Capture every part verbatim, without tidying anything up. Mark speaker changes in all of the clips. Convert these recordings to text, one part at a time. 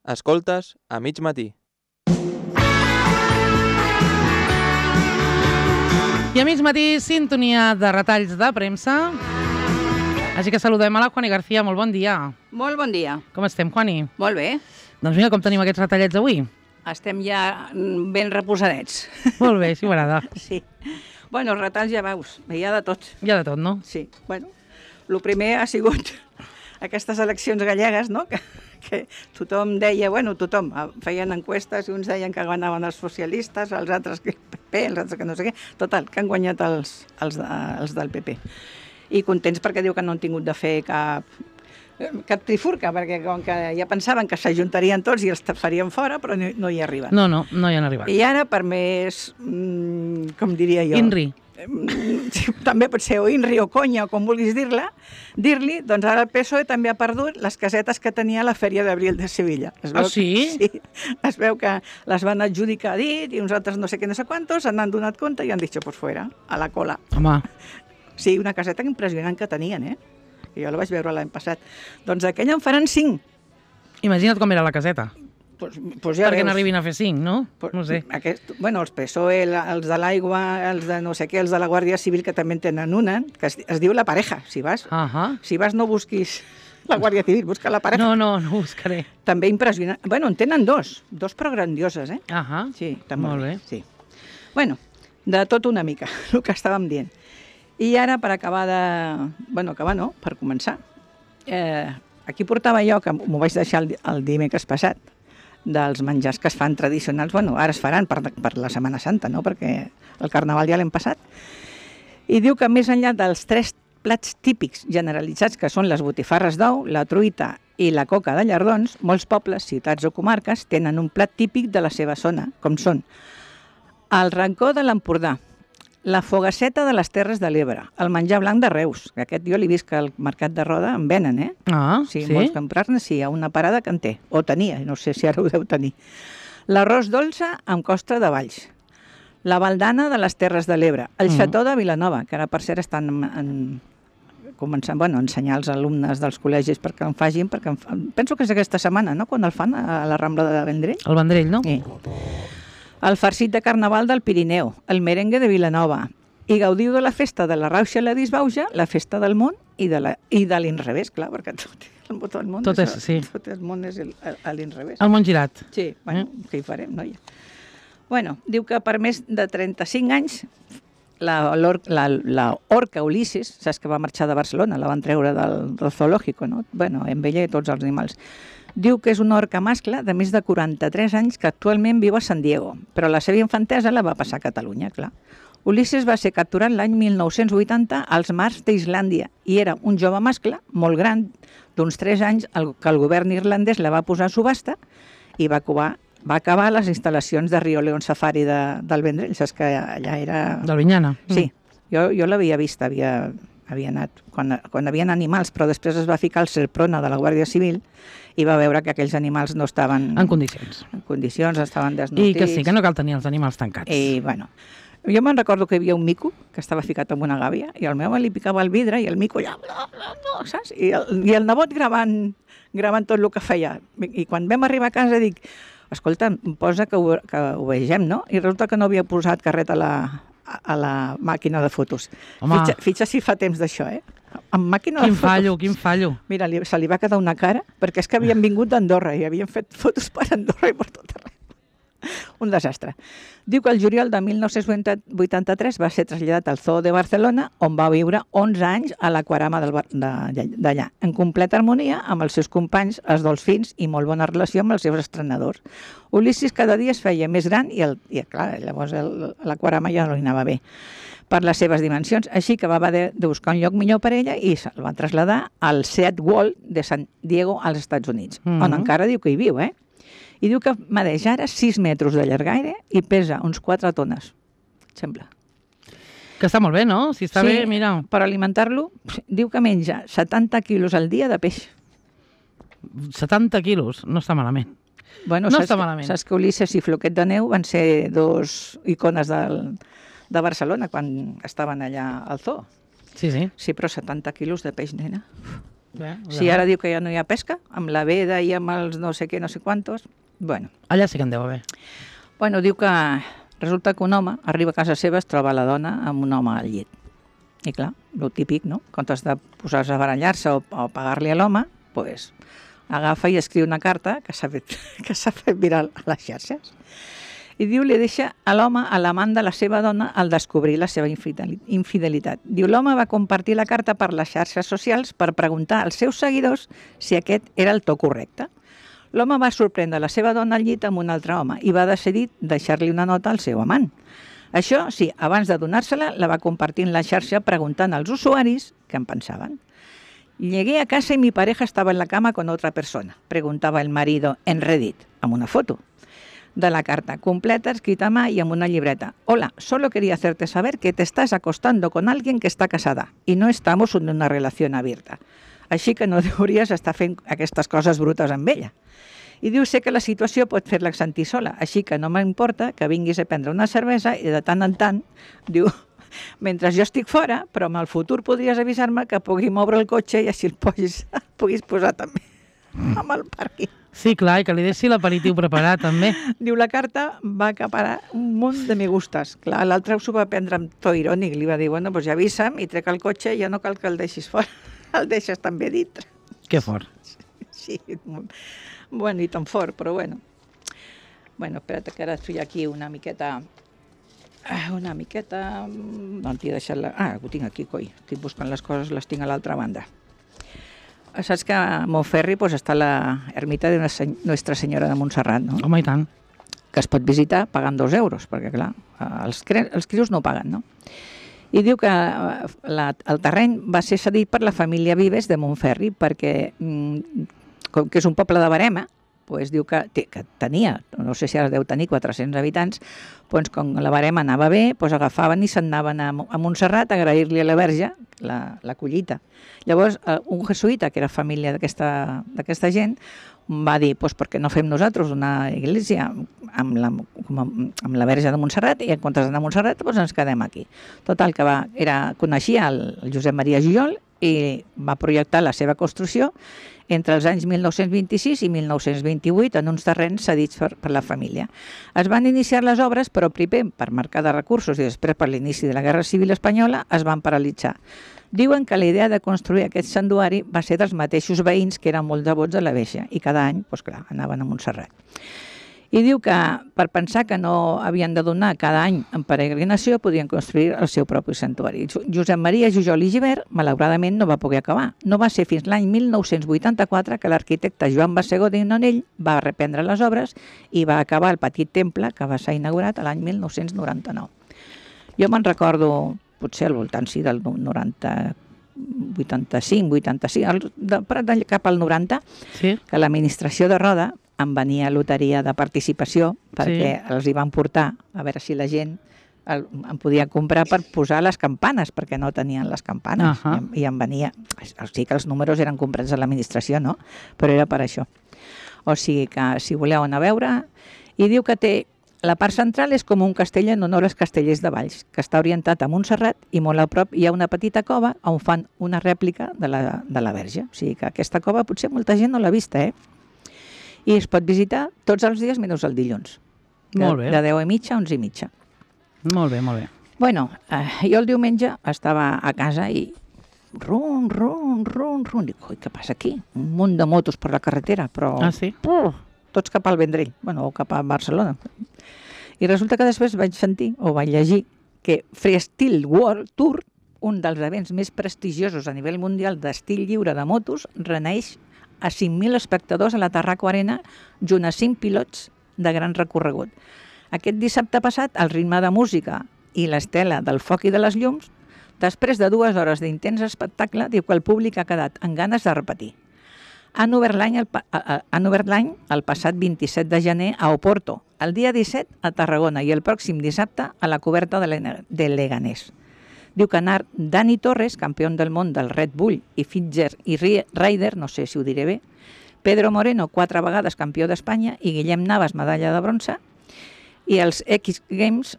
Speaker 1: Escoltes a mig matí.
Speaker 2: I a mig matí, sintonia de retalls de premsa. Així que saludem a la Juani García. Molt bon dia.
Speaker 3: Molt bon dia.
Speaker 2: Com estem, Juani?
Speaker 3: Molt bé.
Speaker 2: Doncs mira, com tenim aquests retallets avui?
Speaker 3: Estem ja ben reposadets.
Speaker 2: Molt bé, sí, m'agrada.
Speaker 3: Sí. Bueno, els retalls ja veus, hi ha de tot.
Speaker 2: Hi ha de tot, no?
Speaker 3: Sí. Bueno, el primer ha sigut aquestes eleccions gallegues, no?, que, que tothom deia, bueno, tothom, feien enquestes i uns deien que guanyaven els socialistes, els altres que el P P, els altres que no sé què, total, que han guanyat els, els, de, els del P P. I contents perquè diu que no han tingut de fer cap, cap trifurca, perquè com que ja pensaven que s'ajuntarien tots i els farien fora, però no, no hi arriben.
Speaker 2: No, no, no hi han arribat.
Speaker 3: I ara, per més, mm, com diria jo...
Speaker 2: Inri.
Speaker 3: Sí, també pot ser o Inri o conya, o com vulguis dir-la, dir-li, doncs ara el P S O E també ha perdut les casetes que tenia a la Fèria d'Abril de Sevilla. Es veu
Speaker 2: Ah, sí?
Speaker 3: Que, sí, es veu que les van adjudicar a dit i uns altres no sé què, no sé quantos, se n'han donat compte i han dit, pues fuera, a la cola.
Speaker 2: Home.
Speaker 3: Sí, una caseta impressionant que tenien, eh? Jo la vaig veure l'any passat. Doncs aquella en faran cinc.
Speaker 2: Imagina't com era la caseta.
Speaker 3: Pues, pues ja
Speaker 2: Perquè
Speaker 3: veus.
Speaker 2: n'arribin a fer cinc, no?
Speaker 3: Pues,
Speaker 2: No sé.
Speaker 3: Aquest, bueno, els P S O E, els de l'aigua, els de no sé què, els de la Guàrdia Civil, que també en tenen una, que es, es diu La Pareja, si vas.
Speaker 2: Ahà.
Speaker 3: Si vas no busquis la Guàrdia Civil, busca La Pareja.
Speaker 2: No, no, no ho buscaré.
Speaker 3: També impressionant. Bueno, en tenen dos, dos però grandioses, eh?
Speaker 2: Ahà.
Speaker 3: Sí, també.
Speaker 2: Molt bé.
Speaker 3: Sí. Bueno, de tot una mica, el que estàvem dient. I ara, per acabar de... Bueno, acabar no, per començar. Eh, aquí portava jo, que m'ho vaig deixar el, el dimecres passat, dels menjars que es fan tradicionals, bueno, ara es faran per, per la Setmana Santa, no?, perquè el Carnaval ja l'hem passat. I diu que més enllà dels tres plats típics generalitzats, que són les botifarres d'ou, la truita i la coca de llardons, molts pobles, ciutats o comarques tenen un plat típic de la seva zona, com són el rancó de l'Empordà, la fogasseta de les Terres de l'Ebre, el menjar blanc de Reus, que aquest jo l'he vist que al Mercat de Roda en venen, eh?
Speaker 2: Ah,
Speaker 3: Sí,
Speaker 2: sí?
Speaker 3: vols comprar-ne, sí, hi ha una parada que en té, o tenia, no sé si ara ho deu tenir. L'arròs dolça amb costra de Valls, la baldana de les Terres de l'Ebre, el
Speaker 2: Mm.
Speaker 3: xató de Vilanova, que ara per cert estan en, en, començant, bueno, a ensenyar als alumnes dels col·legis perquè en facin, perquè en, fa- penso que és aquesta setmana, no?, quan el fan a la Rambla de Vendrell.
Speaker 2: El Vendrell, no?
Speaker 3: Sí. El farcit de Carnaval del Pirineu, el merengue de Vilanova, i gaudiu de la festa de la Rauxa i la Disbauja, la festa del món i de la- i de l'inrevés, clar, perquè tot, tot el món
Speaker 2: Tot és,
Speaker 3: el-
Speaker 2: sí.
Speaker 3: tot el món és el- a l'inrevés.
Speaker 2: El món girat.
Speaker 3: Sí, bueno, què hi farem, noia? Bueno, diu que per més de trenta-cinc anys la, l'or, la, la orca Ulisses, saps que va marxar de Barcelona, la van treure del, del zoològico, no? Bueno, amb ella i tots els animals. Diu que és una orca mascle de més de quaranta-tres anys que actualment viu a San Diego, però la seva infantesa la va passar a Catalunya, clar. Ulisses va ser capturat l'any mil nou-cents vuitanta als mars d'Islàndia i era un jove mascle molt gran, d'uns tres anys, el, que el govern irlandès la va posar a subhasta i va acabar, va acabar a les instal·lacions de Rio León Safari de, del Vendrell, saps que allà era...
Speaker 2: Del Vinyana.
Speaker 3: Sí, jo, jo l'havia vist, havia, havia anat, quan, quan havien animals, però després es va ficar el Serprona de la Guàrdia Civil i va veure que aquells animals no estaven
Speaker 2: En condicions.
Speaker 3: en condicions, estaven desnodrits.
Speaker 2: I que sí, que no cal tenir els animals tancats.
Speaker 3: I, bueno, jo me'n recordo que hi havia un mico que estava ficat en una gàbia i el meu li picava el vidre i el mico allà, bla, bla, bla, saps? I el, i el nebot gravant, gravant tot el que feia. I quan vam arribar a casa dic, escolta, posa que ho, que ho vegem, no? I resulta que no havia posat carret a la, a la màquina de fotos.
Speaker 2: Home.
Speaker 3: Fitxa, fitxa si fa temps d'això, eh? Amb màquina
Speaker 2: Quin
Speaker 3: de fotos.
Speaker 2: fallo, quin fallo.
Speaker 3: Mira, li, se li va quedar una cara, perquè és que havien vingut d'Andorra i havien fet fotos per Andorra i per tot arreu. Un desastre. Diu que el juliol de mil nou-cents vuitanta-tres va ser traslladat al Zoo de Barcelona, on va viure onze anys a l'aquarama del bar- de- d'allà, en completa harmonia amb els seus companys, els dolfins, i molt bona relació amb els seus estrenadors. Ulisses cada dia es feia més gran i, el, i clar, llavors el- l'aquarama ja no li anava bé per les seves dimensions, així que va haver de, de buscar un lloc millor per ella i se'l va traslladar al Seat World de San Diego, als Estats Units,
Speaker 2: Mhm.
Speaker 3: on encara diu que hi viu, eh? I diu que medeix ara sis metres de llargaire i pesa uns quatre tones, sembla.
Speaker 2: Que està molt bé, no? Si està
Speaker 3: Sí,
Speaker 2: bé, mira.
Speaker 3: Per alimentar-lo, diu que menja setanta quilos al dia de peix.
Speaker 2: setanta quilos, no està malament.
Speaker 3: Bueno,
Speaker 2: No
Speaker 3: saps
Speaker 2: està
Speaker 3: que-
Speaker 2: malament.
Speaker 3: Saps que Ulisses i Floquet de Neu van ser dos icones del, de Barcelona quan estaven allà al zoo.
Speaker 2: Sí, sí.
Speaker 3: Sí, però setanta quilos de peix, nena.
Speaker 2: Bé,
Speaker 3: Si ara diu que ja no hi ha pesca, amb la veda i amb els no sé què, no sé quantos... Bueno,
Speaker 2: Allà sí que en deu haver.
Speaker 3: bueno, diu que resulta que un home arriba a casa seva, es troba la dona amb un home al llit. I clar, el típic, no? En comptes de posar-se a barallar-se o, o pagar-li a l'home, pues, agafa i escriu una carta que s'ha fet, que s'ha fet viral a les xarxes. I diu, li deixa a l'home, a l'amant de la seva dona, al descobrir la seva infidelitat. Diu, l'home va compartir la carta per les xarxes socials per preguntar als seus seguidors si aquest era el to correcte. L'home va sorprendre la seva dona al llit amb un altre home i va decidir deixar-li una nota al seu amant. Això, sí, abans de donar-se-la, la va compartir en la xarxa preguntant als usuaris què en pensaven. Llegué a casa y mi pareja estaba en la cama con otra persona, preguntaba el marido en Reddit, amb una foto de la carta completa, escrita a mà y amb una llibreta. Hola, solo quería hacerte saber que te estás acostando con alguien que está casada y no estamos en una relación abierta. Així que no hauries estar fent aquestes coses brutes amb ella. I diu, sé que la situació pot fer-la sentir sola, així que no m'importa que vinguis a prendre una cervesa i de tant en tant, diu, mentre jo estic fora, però en el futur podries avisar-me que pugui moure el cotxe i així el puguis, puguis posar també amb el pàrquing.
Speaker 2: Sí, clar, i que li deixi l'aperitiu preparat, també.
Speaker 3: Diu, la carta va acaparar un munt de me gustes. Clar, l'altre s'ho va prendre amb to irònic. Li va dir, bueno, doncs ja avisa'm i trec el cotxe i ja no cal que el deixis fora. El deixes també dintre.
Speaker 2: Que fort.
Speaker 3: Sí, bueno, i tan fort, però bueno. Bueno, espera't que ara estic aquí una miqueta... Una miqueta... No, t'hi he deixat la... Ah, ho tinc aquí, coi. Estic buscant les coses, les tinc a l'altra banda. Saps que a Montferri pues, està la ermita de Nuestra Senyora de Montserrat, no?
Speaker 2: Home, i tant.
Speaker 3: Que es pot visitar pagant dos euros, perquè, clar, els, els crios no paguen, no? I diu que la, el terreny va ser cedit per la família Vives de Montferri, perquè, com que és un poble de Verema, pues, diu que, que tenia, no sé si ara deu tenir quatre-cents habitants, pues, com la Verema anava bé, pues, agafaven i se'n anaven a, a Montserrat a agrair-li a la Verge la, la collita. Llavors, un jesuïta, que era família d'aquesta gent, va dir, pues, per què no fem nosaltres una església amb la, amb la Verge de Montserrat i en comptes d'anar a Montserrat pues, ens quedem aquí. Total, que va, era, coneixia el, el Josep Maria Jujol i va projectar la seva construcció entre els anys mil nou-cents vint-i-sis i mil nou-cents vint-i-vuit en uns terrenys cedits per, per la família. Es van iniciar les obres, però primer per marcar de recursos i després per l'inici de la Guerra Civil Espanyola es van paralitzar. Diuen que la idea de construir aquest santuari va ser dels mateixos veïns que eren molt devots de la Verge i cada any, doncs clar, anaven a Montserrat. I diu que per pensar que no havien de donar cada any en peregrinació podien construir el seu propi santuari. Josep Maria Jujol i Gibert, malauradament, no va poder acabar. No va ser fins l'any mil nou-cents vuitanta-quatre que l'arquitecte Joan Basségó de Nonell va reprendre les obres i va acabar el petit temple que va ser inaugurat l'any mil nou-cents noranta-nou. Jo me'n recordo, potser al voltant sí, del noranta, vuitanta-cinc, vuitanta-cinc, cap al noranta, sí, que l'administració de Roda em venia loteria de participació perquè sí, els hi van portar a veure si la gent el, em podia comprar per posar les campanes, perquè no tenien les campanes. Uh -huh. I, I em venia... Sí que els números eren comprats a l'administració, no? Però era per això. O sigui que, si voleu anar a veure... I diu que té... La part central és com un castell en honor als castellers de Valls, que està orientat a Montserrat i molt a prop hi ha una petita cova on fan una rèplica de la, de la Verge. O sigui que aquesta cova potser molta gent no l'ha vista, eh? I es pot visitar tots els dies menys el dilluns.
Speaker 2: Molt bé.
Speaker 3: De deu i mitja a onze i mitja.
Speaker 2: Molt bé, molt bé.
Speaker 3: Bueno, eh, jo el diumenge estava a casa i rum, rum, rum, rum. Dic, oi, què passa aquí? Un munt de motos per la carretera, però...
Speaker 2: Ah, sí?
Speaker 3: Uh, tots cap al Vendrell, bueno, o cap a Barcelona. I resulta que després vaig sentir, o vaig llegir, que Freestyle World Tour, un dels events més prestigiosos a nivell mundial d'estil lliure de motos, reneix a cinc mil espectadors a la Tarraco Arena junt a cinc pilots de gran recorregut. Aquest dissabte passat, al ritme de música i l'estela del foc i de les llums, després de dues hores d'intens espectacle, diu que el públic ha quedat amb ganes de repetir. Han obert l'any el, han obert l'any el passat vint-i-set de gener a Oporto, el dia disset a Tarragona i el pròxim dissabte a la coberta de Leganés. Diu que anar Dani Torres, campió del món del Red Bull, i Fitzer i Ryder, no sé si ho diré bé, Pedro Moreno, quatre vegades campió d'Espanya, i Guillem Navas, medalla de bronze, i els X Games,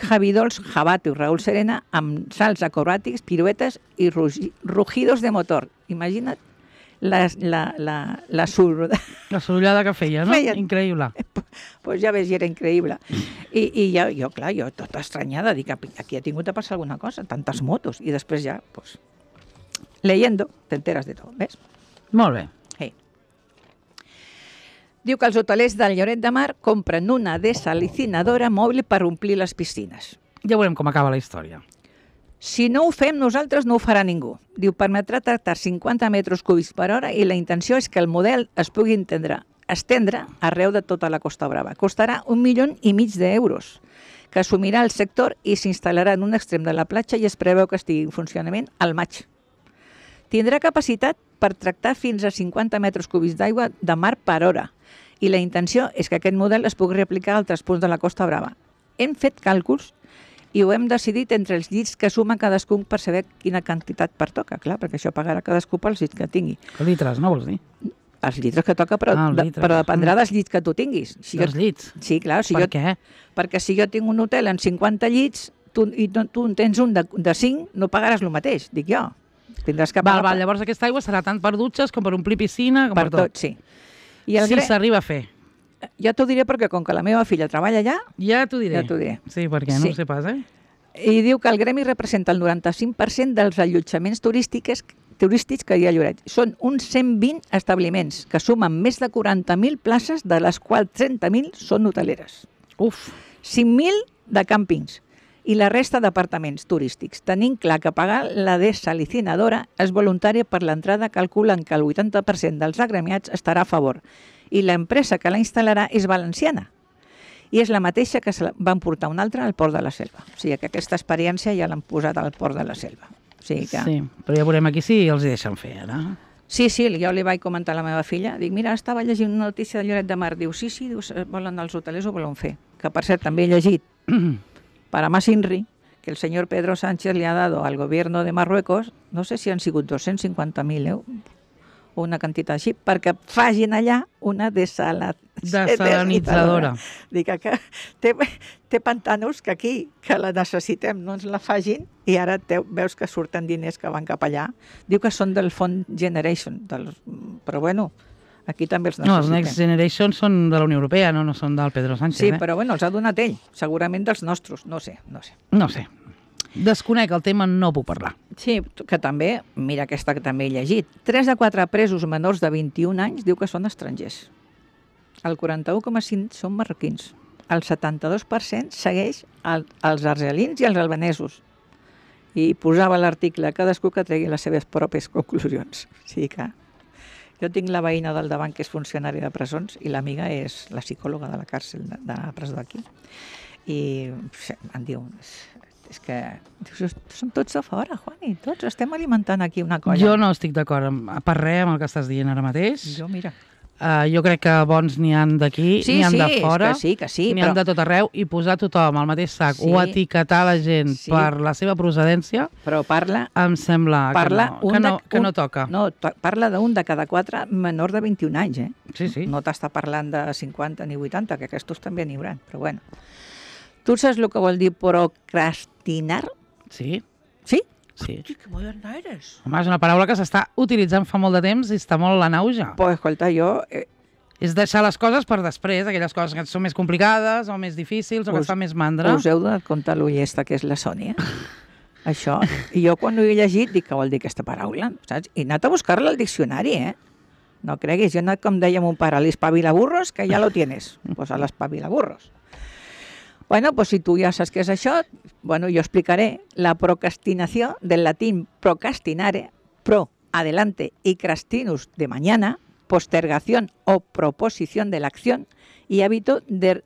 Speaker 3: Javi Dols, Jabato i Raúl Serena, amb salts acrobàtics, piruetes i rugidos de motor. Imagina't la, la, la, la sur...
Speaker 2: La sorollada que feia, no?
Speaker 3: Feia.
Speaker 2: Increïble.
Speaker 3: Pues ja ves, era increïble. I, i ja, jo, clar, jo tota estranyada, dic, aquí ha tingut de passar alguna cosa, tantes motos, i després ja, pues, leyendo, te enteras de tot, ves?
Speaker 2: Molt bé.
Speaker 3: Sí. Diu que els hotelers del Lloret de Mar compren una desalicinadora mòbil per omplir les piscines.
Speaker 2: Ja veurem com acaba la història.
Speaker 3: Si no ho fem nosaltres, no ho farà ningú. Diu, permetrà tractar cinquanta metres cúbics per hora i la intenció és que el model es pugui entendre, estendre arreu de tota la Costa Brava. Costarà un milió i mig d'euros, que assumirà el sector i s'instal·larà en un extrem de la platja i es preveu que estigui en funcionament al maig. Tindrà capacitat per tractar fins a cinquanta metres cúbics d'aigua de mar per hora i la intenció és que aquest model es pugui replicar a altres punts de la Costa Brava. Hem fet càlculs i ho hem decidit entre els llits que suma cadascun per saber quina quantitat pertoca, clar, perquè això pagarà cadascú pels llits que tingui.
Speaker 2: Litres, no vols dir?
Speaker 3: Els litres que toca, però,
Speaker 2: Ah, els
Speaker 3: de,
Speaker 2: litres.
Speaker 3: però dependrà dels llits que tu tinguis. Si
Speaker 2: Els
Speaker 3: jo,
Speaker 2: llits?
Speaker 3: sí, clar. Si
Speaker 2: Per
Speaker 3: jo,
Speaker 2: què?
Speaker 3: perquè si jo tinc un hotel amb cinquanta llits tu, i tu, tu en tens un de, de cinc, no pagaràs el mateix, dic jo. Tindràs que
Speaker 2: Val,
Speaker 3: pagar
Speaker 2: val, llavors aquesta aigua serà tant per dutxes com per omplir piscina, com
Speaker 3: per,
Speaker 2: per,
Speaker 3: per tot, sí. I el
Speaker 2: Si
Speaker 3: gre...
Speaker 2: s'arriba a fer.
Speaker 3: Ja t'ho diré perquè com que la meva filla treballa allà,
Speaker 2: Ja t'ho diré.
Speaker 3: Ja t'ho diré.
Speaker 2: Sí, perquè no
Speaker 3: Sí.
Speaker 2: ho sé pas, eh?
Speaker 3: i diu que el gremi representa el noranta-cinc per cent dels allotjaments turístics, turístics que hi ha a Lloret. Són uns cent vint establiments que sumen més de quaranta mil places, de les quals trenta mil són hoteleres.
Speaker 2: Uf,
Speaker 3: cinc mil de càmpings i la resta d'apartaments turístics. Tenint clar que pagar la desalicinadora és voluntària per l'entrada, calculen que el vuitanta per cent dels agremiats estarà a favor i l'empresa que la instal·larà és valenciana i és la mateixa que se van portar una altra al Port de la Selva. O sigui que aquesta experiència ja l'han posat al Port de la Selva. O sigui que...
Speaker 2: sí, però ja veurem aquí si els hi deixen fer, ara.
Speaker 3: Sí, sí, jo li vaig comentar a la meva filla, dic, mira, estava llegint una notícia de Lloret de Mar, diu, sí, sí, diu, volen els hotelers ho volen fer. Que per cert, també he llegit para más INRI, que el señor Pedro Sánchez le ha dado al gobierno de Marruecos, no sé si han sigut dos-cents cinquanta mil euros, o una quantitat així, perquè facin allà una desala...
Speaker 2: Desalinitzadora.
Speaker 3: Dic que té, té pantanos que aquí, que la necessitem, no ens la facin, i ara te, veus que surten diners que van cap allà. Diu que són del Fond Generation, del, però bueno, aquí també els
Speaker 2: No, els
Speaker 3: necessitem.
Speaker 2: Next Generation són de la Unió Europea, no, no són del Pedro Sánchez,
Speaker 3: Sí,
Speaker 2: eh?
Speaker 3: però bueno, els ha donat ell, segurament dels nostres, no sé, no sé.
Speaker 2: No sé. Desconec el tema, no puc parlar.
Speaker 3: Sí, que també, mira aquesta que també he llegit, tres de quatre presos menors de vint-i-un anys diu que són estrangers. El quaranta-u coma cinc són marroquins. El setanta-dos per cent segueix el, els argelins i els albanesos. I posava l'article, cadascú que tregui les seves pròpies conclusions. O sigui que jo tinc la veïna del davant que és funcionària de presons i l'amiga és la psicòloga de la càrcel de, de la presó d'aquí. I em diu... És que dius, són tots a fora, Juani, tots estem alimentant aquí una colla.
Speaker 2: Jo no estic d'acord amb, per res amb el que estàs dient ara mateix.
Speaker 3: Jo, mira.
Speaker 2: Uh, jo crec que bons n'hi han d'aquí,
Speaker 3: Sí,
Speaker 2: n'hi han
Speaker 3: sí,
Speaker 2: de fora,
Speaker 3: és que sí, que sí,
Speaker 2: n'hi
Speaker 3: però-
Speaker 2: han de tot arreu, i posar tothom al mateix sac
Speaker 3: Sí.
Speaker 2: o etiquetar la gent
Speaker 3: Sí.
Speaker 2: per la seva procedència,
Speaker 3: Però parla...
Speaker 2: em sembla
Speaker 3: parla
Speaker 2: que, no,
Speaker 3: un
Speaker 2: que, no,
Speaker 3: de-
Speaker 2: que
Speaker 3: un-
Speaker 2: no toca.
Speaker 3: No, to- parla d'un de cada quatre menor de vint-i-un anys, eh?
Speaker 2: Sí, sí.
Speaker 3: No t'està parlant de cinquanta ni vuitanta, que aquests també n'hi hauran, però bueno. Tu saps el que vol dir procrastinar?
Speaker 2: Sí,
Speaker 3: Sí?
Speaker 2: sí.
Speaker 3: Que moderna eres.
Speaker 2: Home, és una paraula que s'està utilitzant fa molt de temps i està molt en auge.
Speaker 3: Pues, escolta, jo... Eh,
Speaker 2: És deixar les coses per després, aquelles coses que són més complicades o més difícils o que
Speaker 3: Us-
Speaker 2: et fan més mandra.
Speaker 3: us heu donat compte l'ullesta que és la Sònia? Això. I jo quan ho he llegit dic, què vol dir aquesta paraula? Saps? I he anat a buscar-la al diccionari, eh? No creguis, jo he anat, com dèiem un pare, a l'espavilaburros, que ja lo tienes. Pues a l'espavilaburros. Bueno, pues si tu ja saps què és això, bueno, jo explicaré la procrastinació del latín procrastinare, pro, adelante, y crastinus, de mañana, postergación o proposición de la acción i hábito de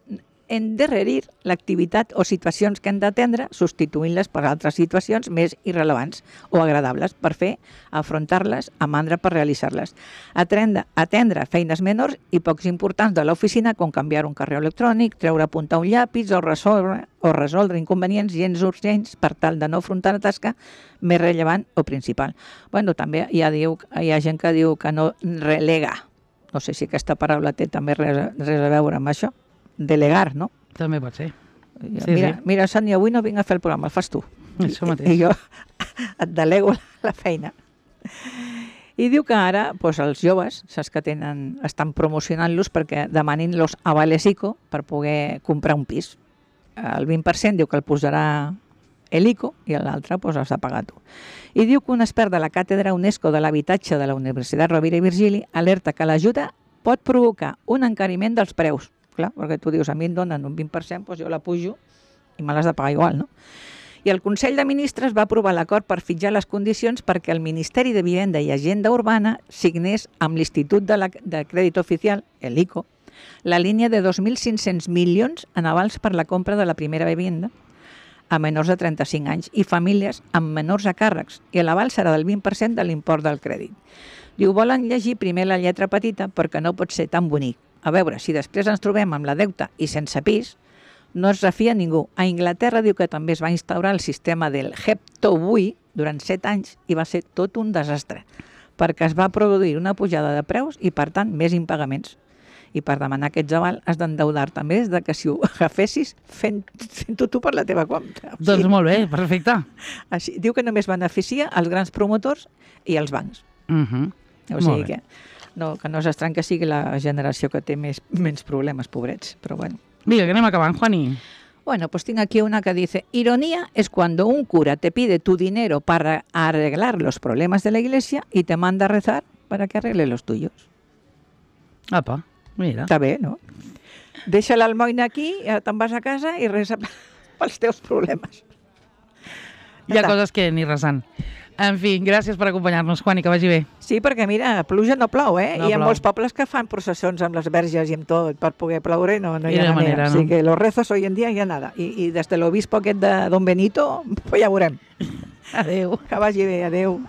Speaker 3: endarrerir l'activitat o situacions que hem d'atendre, substituint-les per altres situacions més irrelevants o agradables per fer, afrontar-les, a mandra per realitzar-les. Atendre, atendre feines menors i pocs importants de l'oficina, com canviar un correu electrònic, treure a punta un llapis o resoldre, o resoldre inconvenients gens urgents per tal de no afrontar la tasca més rellevant o principal. Bueno, també hi ha, diu, hi ha gent que diu que no relega. No sé si aquesta paraula té també res, res a veure amb això. Delegar, no?
Speaker 2: També pot ser.
Speaker 3: Jo,
Speaker 2: Sí,
Speaker 3: mira,
Speaker 2: sí.
Speaker 3: mira, Sònia, avui no vinc a fer el programa, el fas tu.
Speaker 2: Això
Speaker 3: I,
Speaker 2: mateix.
Speaker 3: I jo et delego la feina. I diu que ara doncs, els joves, saps que tenen, estan promocionant-los perquè demanin los avales ICO per poder comprar un pis. El vint per cent diu que el posarà l'ICO i l'altre doncs, has de pagar tu. I diu que un expert de la Càtedra UNESCO de l'Habitatge de la Universitat Rovira i Virgili alerta que l'ajuda pot provocar un encariment dels preus. Clar, perquè tu dius, a mi em donen un vint per cent, doncs jo la pujo i me l'has de pagar igual, no? I el Consell de Ministres va aprovar l'acord per fitxar les condicions perquè el Ministeri de Vivenda i Agenda Urbana signés amb l'Institut de, la, de Crèdit Oficial, l'ICO, la línia de dos mil cinc-cents milions en avals per la compra de la primera vivienda a menors de trenta-cinc anys i famílies amb menors a càrrecs, i l'aval serà del vint per cent de l'import del crèdit. Diu, volen llegir primer la lletra petita perquè no pot ser tan bonic. A veure, si després ens trobem amb la deuta i sense pis, no es refia ningú. A Inglaterra diu que també es va instaurar el sistema del Heptobui durant set anys i va ser tot un desastre, perquè es va produir una pujada de preus i, per tant, més impagaments. I per demanar aquests aval has d'endeudar-te més de que si ho agafessis fent, fent-ho tu per la teva compte. O sigui,
Speaker 2: Doncs molt bé, perfecte.
Speaker 3: així, diu que només beneficia els grans promotors i els bancs.
Speaker 2: Uh -huh.
Speaker 3: O sigui que no, que no és estrany que sigui la generació que té més, menys problemes, pobrets, però bueno.
Speaker 2: Vinga, que anem acabant, Juani.
Speaker 3: Bueno, pues tengo aquí una que dice, ironía es cuando un cura te pide tu dinero para arreglar los problemas de la iglesia y te manda a rezar para que arregle los tuyos.
Speaker 2: Apa, mira.
Speaker 3: Està bé, no? Deixa l'almoina aquí, te'n vas a casa i resa pels teus problemes.
Speaker 2: Hi ha coses que ni resant. En fi, gràcies per acompanyar-nos, Juani, que vagi bé.
Speaker 3: Sí, perquè mira, pluja no plou, eh?
Speaker 2: No
Speaker 3: I hi ha
Speaker 2: plou.
Speaker 3: molts pobles que fan processons amb les verges i amb tot per poder ploure, no, no hi
Speaker 2: I
Speaker 3: ha
Speaker 2: de
Speaker 3: manera.
Speaker 2: manera, no?
Speaker 3: Así que los rezos hoy en día ya nada. I, i des de l'obispo aquest de Don Benito, pues ja veurem.
Speaker 2: Adéu.
Speaker 3: Que vagi bé, adéu.